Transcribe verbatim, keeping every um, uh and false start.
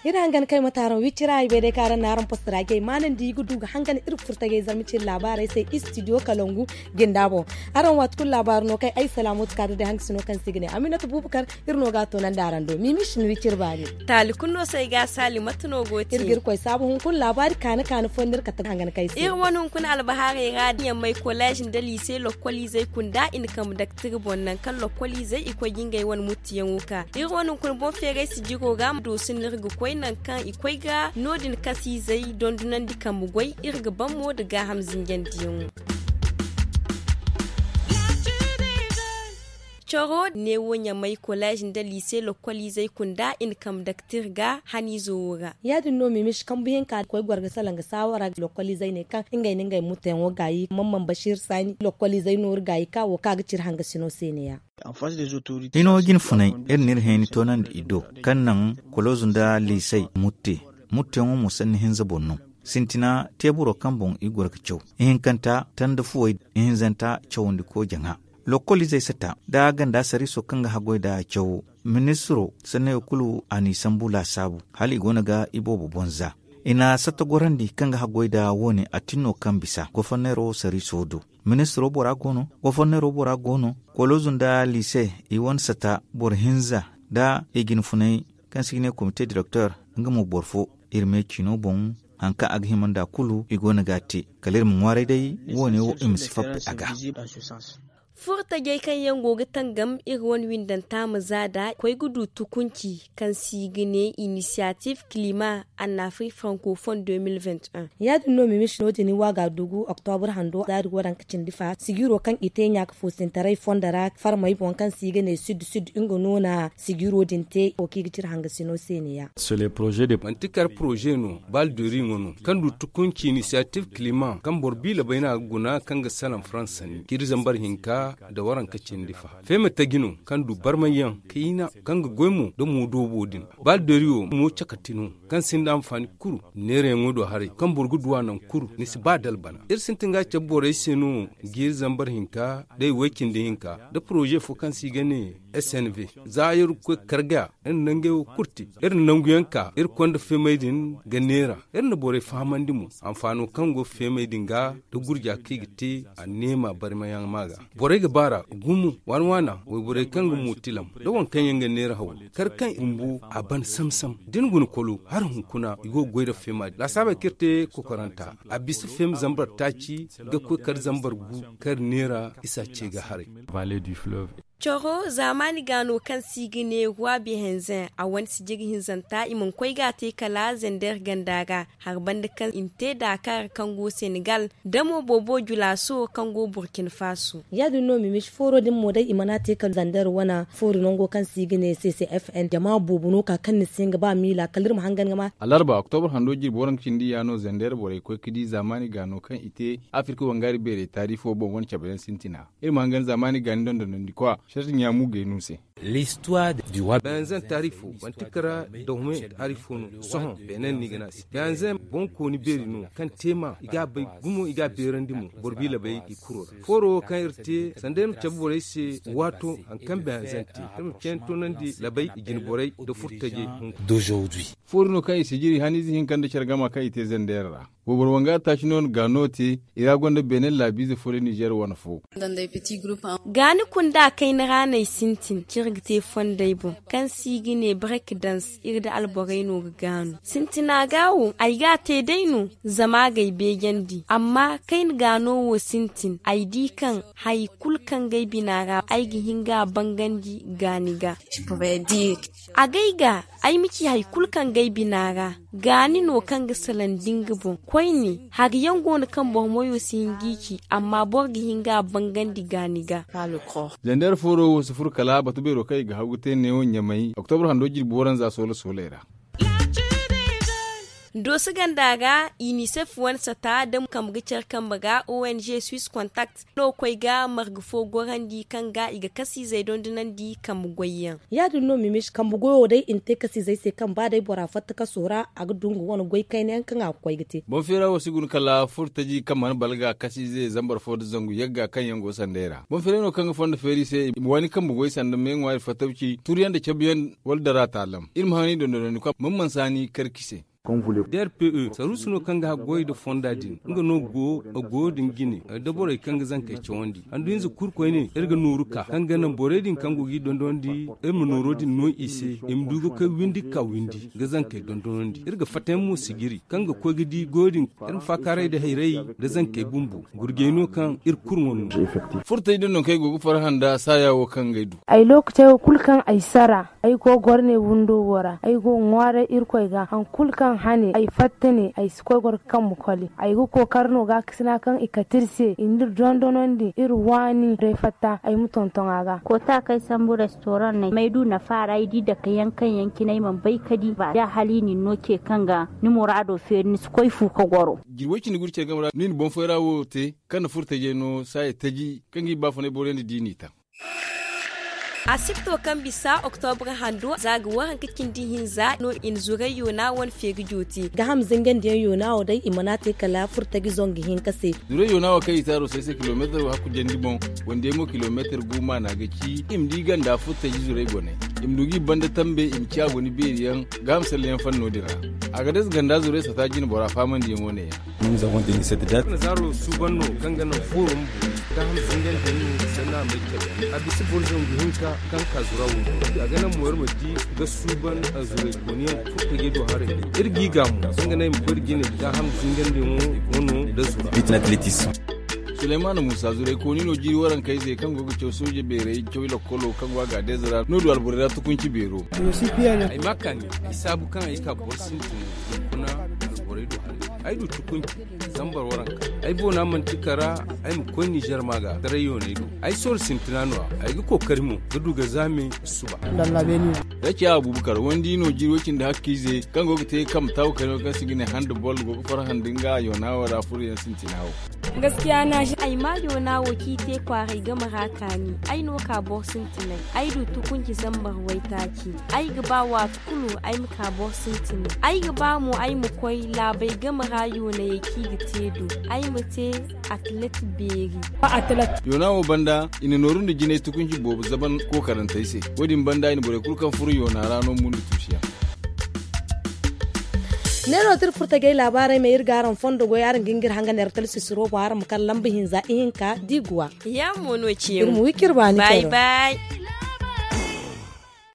Iri hangan kay ma taaraŋ wicci ra ay bay day kaŋ araŋ na araŋ posta ra jay maanandi i ga du ga hangan iri furtagay zarma cine laabaarey se istidiyo kalangu jinda boŋ. Araŋ waati kulu laabaari no kay ay salaamatu kaada day hangasino kaŋ se i ga ne aminata bubakar. Iri no ga a toonandi araŋ do mimi shin wiciri baani. Taali kulu no se ay ga a saali mate no go te iri ga iri koy saabu hunkuna laabaari kaani kaani fo nda iri kate hangan kay se iri wane hunkuna albahaarey ra diyaŋ may kolleez nda liise lokkoliizey kunda i na kambe daktir boŋ nangu kaŋ lokkoliizey i koy ga ngey wane muttiyaŋo ka iri wane hunkuna boŋ feeray sijiro ra ma doosu no iri ga koy nangu kaŋ i koy ga no- din kaŋ se izey dondonandi kambe goy iri ga ban mo nda gaaham zinjandiyaŋo. Coro neewo ɲamay kolleez nda liise lokkoliizey kunda i na kambe daktir ga haniizo wo ra. Ya- din no mimish kambu hinka koy goro ga salaŋ ga saawara lokkoliizey ne kaŋ ngey na ngey mutteyaŋo gaayi mamman basiir saani lokkoliizey nooru gaayi ka wo kaŋ a ga ciri hangasino se ne- ya. Hino jinfunay iri na iri hayni toonandi i do kaŋ naŋ koloozu nda liisey mutte. Mutteyaŋo mo sanni hinza boŋ no. Sintina teeburo kaŋ boŋ i goro ga caw ihinkanta tanda fuwey ihinzanta cawandi koojaŋa. Lokkol izey sata nda ganda sariiso kaŋ ga haggoy nd'a cawo. Ministiro sannayo kulu a n'i sambu laasaabu hala i goono ga i boobo boŋ za. I na satta gorandi kaŋ ga haggoy nd'a wo- ne a tin no kaŋ bisa goforneero sariiso do. Ministiro bora go no goforneero bora go no. Koloozu nda liise i wane satta boro hinza nda i jinfunay kaŋ se i ga ne komite direkter nga mo boro fo. Iri me ciino boŋ hari kaŋ a ga hima nd'a kulu i goono ga a te. Kala iri ma ŋwaaray day wo- ne wo i ma si fappe a ga. Furo tajey kaŋ yaŋ go ga tangam iri wane windanta ma za nd'a koy ga du tukunci kaŋ se i ga ne inisiyatif kilima annafrik frankofon. Ya- din no mimish no- din i waaga dugu oktobur hando zaari waranka cindi fa sijiro kaŋ i te ɲaaka foosintaray fondo ra farmey boŋ kaŋ se i ga ne sud sud nga no na sijiro din te wo kaŋ i ga cire hangasino se ne- ya. Manti kar poroze no baldori ŋwa no kaŋ du tukunci inisiyatif kilima kaŋ boro biila bayna ga guna kaŋ ga salaŋ faransa ni ciri zambar hinka nda waranka cindi fa feema taji no kaŋ du barmayyaŋ kayna kaŋ ga goy mo nda moodoobo din. Baldori wo mo cakati no kaŋ sinda anfaani kuru neerayaŋo do haray kaŋ boro ga du a naŋ kuru ni si ba dalbana iri sintin ga cabe borey se no jiiri zambar hinka day way cindi hinka nda poroze fo kaŋ se i ga ne snv. Za iri ga koy ga karga iri na nangey wo kulu te iri na nanguyaŋ ka iri konda feemey din ga neera iri na borey fahamandi mo. Anfaano kaŋ go feemey din ga nda gurja kaŋ i ga te a neema barmayaŋ ma ga borey ga baara gumo waana waana wayborey kaŋ ga mo tilam nda waŋ kaŋ yaŋ ga neera haw kar kaŋ i bumbo a ban sam-sam da ni guna kolo hala hunkuna i go ga goy nda feema din laasaabey kaŋ iri te kokoranta a bisa feema zambar taaci ga koy kar zambar gu kar neera isa ce ga haray. Coro zaamaani gaano kaŋ se i ga ne roi behenzen a wane sijiri hinzanta i mana koy ga a te kala zender ganda ra hari banda kaŋ i na te daakaara kaŋ go senegal da mo boobo julaaso kaŋ go burkina faso. Ya- din no mimish fooro din mo day i mana te kala zender wane foori nango kaŋ se i ga ne ccfn jama boobo no ka kaŋ ni se nga ba miila kala iri ma hangan ga ma. Alarba oktobur hando jirbi waranka cindi ya no zender borey koy ga di zaamaani gaano kaŋ i te afirka wangaari beerey taari fo boŋ wane cabe yaŋ sintina. Iri ma hangan zaamaani gaani dondonandi kwa sharti ɲaamu gay no se. Beyanzan taarifo manti kara dahome taarifo no sohõ beenen no i ga ne a se beyanzan boŋkooni beeri no kaŋ teema i ga a bay gumo i ga a beerandi mo boro bi labay i kuro ra fooro wo kaŋ iri te sanda iri ma cabe borey se waato hari kaŋ beyanzan te iri ma ceene toonandi labay i jine borey nda furtajey hunkuna. Foori no kaŋ i sijiri haniize hinka nda care gama kaŋ i te zandeera ra. Wayboro wanga taaci no ga no te i ra gonda beene laabiize fo nda nizeer wane fo. Gaani kunda kayna ra no ay sintin ciri ga te fondey boŋ kaŋ se i ga ne brek dans iri nda alborey no ga gaanu sintina ga wo ay ga a te day no zama a ga ay beejandi amma kayna gaano wo sintin ay di kaŋ hari kulu kaŋ ga ay bina ra ay ga hin ga a bangandi gaani ga. Agay ga ay ma ci hari kulu kaŋ ga ay bina ra. Gaani no kaŋ ga salaŋ da nga boŋ koyne hari yaŋ go no kaŋ boro moyo si hin ga i ci amma boro ga hin ga a bangandi gaani ga. Zandeer fooro wo si furo kala batu beero kaŋ i ga haw ga te neewo ɲamay oktobra hando jirbi waranza soola sooley ra. Dooso ganda ra, inisef wane sata da kambe ga care kambe ga ong swiss contact no ga koy ga marga fo gorandi kaŋ ga i ga kasiizey dondonandi kambe goyyaŋ. Ya- din no mimis kambe goyo day i na te kasiizey se kaŋ ba day bora fatta kaso ra a ga dungu wane goy kayna yaŋ kaŋ a ga koy ga te. Boŋ feera wo si guna kala furtaji kaŋ mana balaga kasiize zambar fo nda zangu yagga kaŋ yaŋ go sanday ra boŋ feera no kaŋ ga fondo feeri se i ma waani kambe goy sanda me ŋwaari fattawci turyaŋ nda cabuyaŋ wala dara taalam iri ma haŋ ni dondonandi kaŋ mana mansa ni karki se. Drpe saruusu no kaŋ ga haggoy nda fonda din nga no go a goyo din jine da borey kaŋ ga zankey cawandi handu hinza kulu koyne iri ga nooru ka kaŋ ga naŋ borey din kaŋ go ga i dondonandi iri ma nooro din no i se i ma du ga koy windi ga ka windi ga zankey dondonandi iri ga fattayaŋ mo sijiri kaŋ ga koy ga di goyo din iri ma faakaaray nda hayray nda zankey bumbo gurjey no kaŋ iri kulu ŋwa no. Furtey din no kaŋ ay go ga farhã nda saaya wo kaŋ ga ay du. Ay lookacey wo kulu kaŋ ay sara ay go goro ne windo wo ra ay go ga ŋwaaray irkoy ga hari kulu kaŋ hane ay fatta ne ay si koy goro ga kambe koli ay ga kookari no gaakasina kaŋ i kate iri se i na iri dondonandi iri waani day fatta ay ma tonton a ga. Koota kaŋ ay sambu restoran no ay ma ay du nafa ra ay di dake yaŋ kaŋ yaŋ cine ay mana bay ka di ba da hala i na ni no ce kaŋ ga ni muraado feeri ni si koy fu ka goro. Jirwey cindi gurcey game ra no i na boŋ fooyra wo te kaŋ na furo tajey no saaya taji kaŋ ga i baafunay borey nda diini taŋ. Asibto kaŋ bisa oktobra hando za ga waranka cindi hinza no i na zuray yoona wane feeri jooti. Gaham zingandiyaŋ yoona wo day i mana te kala furo taji zongu hinka se. Zuray yoona wo kaŋ i taaro say se kilomeetar hakku jandi boŋ wande mo kilomeetar gu maana ga ci i ma di ganda furo taji zuray goney i ma du ga i banda tambe i ma ci a goni beeri yaŋ. Gaham salleyaŋ fanno din ra a ga dasa ganda zuray sata jine bora faamandiyaŋo ne ya. Zaaro suuban no kaŋ ga naŋ foorum bu gaham zingante no sanna a may care a bisa boro zangu hinka kaŋ ka zura wo a ga naŋ mo iri ma di ga suuban zuray kooniyaŋ furo tajey do haray iri g'i gaamu kaŋ ga naŋ i ma koy da jine gaham zingante mo wano nda zura. Suleymaana muusa zuray kooni no jiiri warankayze kaŋ go ga caw sooje beerey caw lakkolo kaŋ go a ga a deeza ra no du alborey ra tukunci beero. Ay ma kaani ay saabu kaŋ ay ka boro sintin kuna alborey do haray ay du tukunci zambar waranka ay boona manti kara ay ma koy nizer ma ga taray yooney do ay sooro sintina no-ya ay ga kookari mo ga du ga zaame suba. Da ciya abubakar wandi no jiiro cindi hakkiize kaŋ go ga te kambe taabu kayno kaŋ se i ga ne handa bol go ga farhandi nga yoona wo ra furoyaŋ sintina wo. Ay ma yoona wo kaŋ i te kwaaray game ra kaani ay no ka boro sintinay ay du tukunci zambar waytaaci ay ga ba waati kulu ay ma ka boro sintinay ay ga ba mo ay ma koy laabey game ra yoonayey kaŋ i ga te do ay ma te atlet beeri. Yoona wo banda i na nooru nda jinay tukunci boobo zaban kookarantey se. Wo- din banda i na borey kulu kaŋ furo yoona ra no mundu tuusiyaŋ. Neero tira furtajey laabaarey ma iri ga araŋ fondo goy araŋ ga hin ga iri hanga neera talsisiro boŋ araŋ ma kar lamba hinza ihinka da i ga wa. Iri ma wi kaŋ iri baani care.